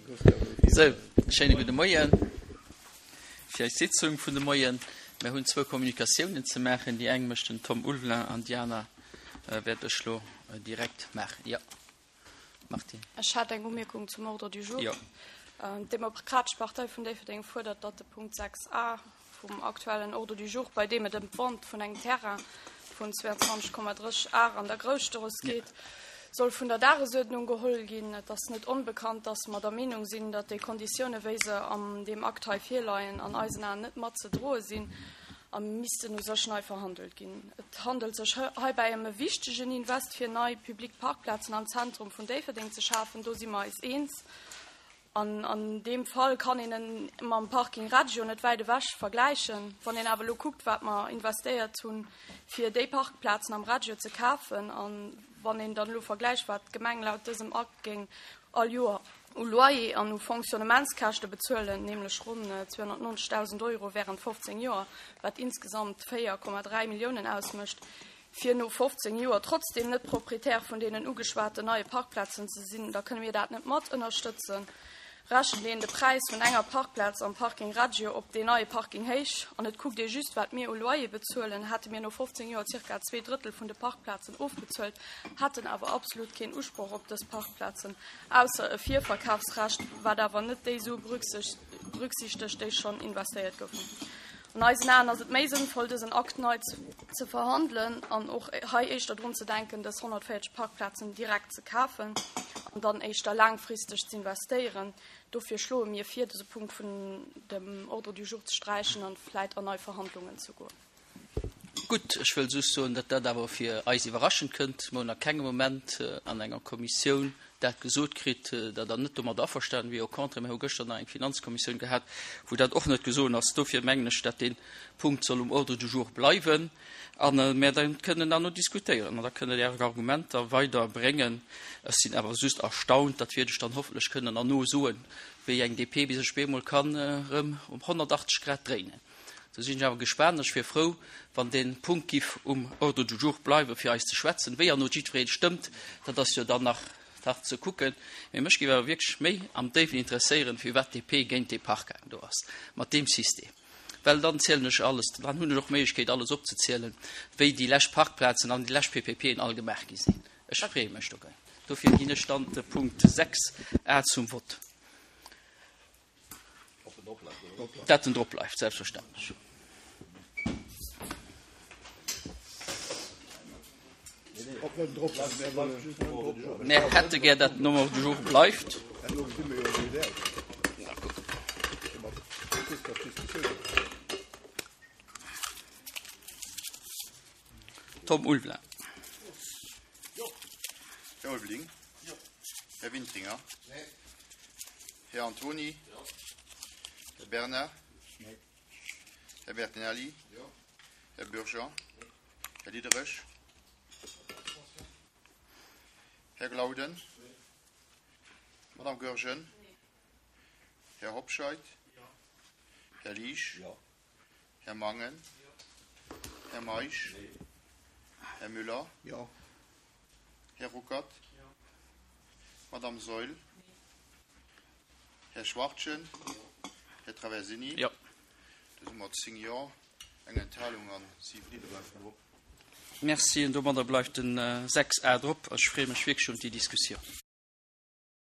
Sou, schéine gudde Moien fir eis Sitzung vun de Moien. Mir hunn zwou Kommunikatiounen ze maachen. Déi eng mécht den Tom Ulvelin an déi aner wäert ech lo direkt maachen. Jo, Martine. Ech hätt eng Umierkung zum Ordre du jour. Jo. D'Demokratesch Partei vun Déifferdeng fuerdert, datt de Punkt 6 a vum aktuellen Ordre du jour, bei deem et ëm d'Vente vun engem Terrain vun 22,3 Ar an der Grousstrooss geet, soll vun der Dagesuerdnung geholl ginn. Et ass net onbekannt, dass mer der Meenung sinn, datt déi Konditiounen, wéi se an deem Akt hei virleien, an eisen Aen net mat ze droe sinn a missten u sech nei verhandelt ginn. Et handelt sech heibäi ëm e wichtegen Invest, fir nei public Parkplazen am Zentrum vun Déifferdeng ze schafen, do si mer eis eens. An an deem Fall kann een en mam Parking Reggio net wäit ewech vergläichen. Wann een awer elo kuckt, wat mer investéiert hunn, fir déi Parkplazen am Reggio ze kafen, a wann een dann elo vergläicht, wat d'Gemeng laut dësem Akt géing all Joer u Loyer an u Fonctionnementskäschte bezuelen, nämlech ronn 290.000 Euro während 15 Joer, wat insgesamt 4,3 Milliounen ausmécht, fir no 15 Joer trotzdeem net Proprietär vun deenen ugeschwaten neie Parkplazen ze sinn, da kënne mir dat net mat ënnerstëtzen. Rechent een de Präis vun enger Parkplaz am Parking Reggio op deen neie Parking héich an et kuckt ee just, wat mir u Loyer bezuelen, hätte mir no 15 Joer zirka zweedrëttel vun de Parkplazen ofbezuelt, hätten awer absolut keen Usproch op dës Parkplazen, ausser e Virverkafsrecht, wat awer net déi Sue berücksichtegt, déi schonn investéiert goufen. An eisen Aen ass et méi sënnvoll, dësen Akt nei ze verhandelen an och hei éischter drun ze denken, dës 140 Parkplazen direkt ze kafen an dann éischter laangfristeg ze investéieren. Dofir schloe mir vir, dëse Punkt vun dem Ordre du jour ze sträichen an vläit an nei Verhandlungen ze goen. Gutt, ech wëll just soen, datt dat awer fir eis iwwerraschend kënnt. Mer hunn a kengem Moment an enger Kommissioun dat gesot kritt, datt Der net domadder averstanen wier. Au contraire, mir hu gëschter nach eng Finanzkommissioun gehat, wou dat och net gesoen ass. Dofir mengen ech, datt dee Punkt soll um Ordre du jour bleiwen a mer da kënnen derno diskutéieren an da kënne Der Är Argumenter weider bréngen. Ech sinn awer just erstaunt, dat wäert ech dann hoffentlech kënnen erno soen, wéi eng DP sech bemol kann erëm um 180 Grad dréinen. Do sinn ech awer gespaant. Ech wier frou, wann dee Punkt giff um Ordre du jour bleiwen, fir eis ze schwätzen. Wéi erno jiddweree stëmmt, dat ass jo dann nach nach ze kucken. Mee mech géif awer wierklech méi am Déiwen interesséieren, firwat d'DP géint dee Parking do ass, mat deem System. Well dann zielen ech alles, dann hunn ech och d'Méiglechkeet, alles opzezielen, wéi déi lescht Parkplazen an déi lescht PPPen all gemaach gi sinn. Ech freeë mech dogéint. Dofir ginn ech dann de Punkt 6 a zum Vott. Dat en drop bleift, selbstverständlech. Mär hätte gär, dat den um Ordre du jour bleift. Tom Ulveling. Här Ulveling. Här Wintringer. Här Antoni. Här Bernard. Här Bertinelli. Här Bürger. Här Diderich. Här Glauden. Madame Goergen. Här Hobscheit. Här Liesch. Här Mangen. Här Meisch. Här Müller. Här Ruckert. Madame Saeul. Här Schwachtgen. Här Traversini. Jo. Do si mer 10 Jo, eng Enthalung an 7 Neen. Merci. An domadder bleift den 6 A drop. Ech freeë mech wierklech un déi Diskussioun.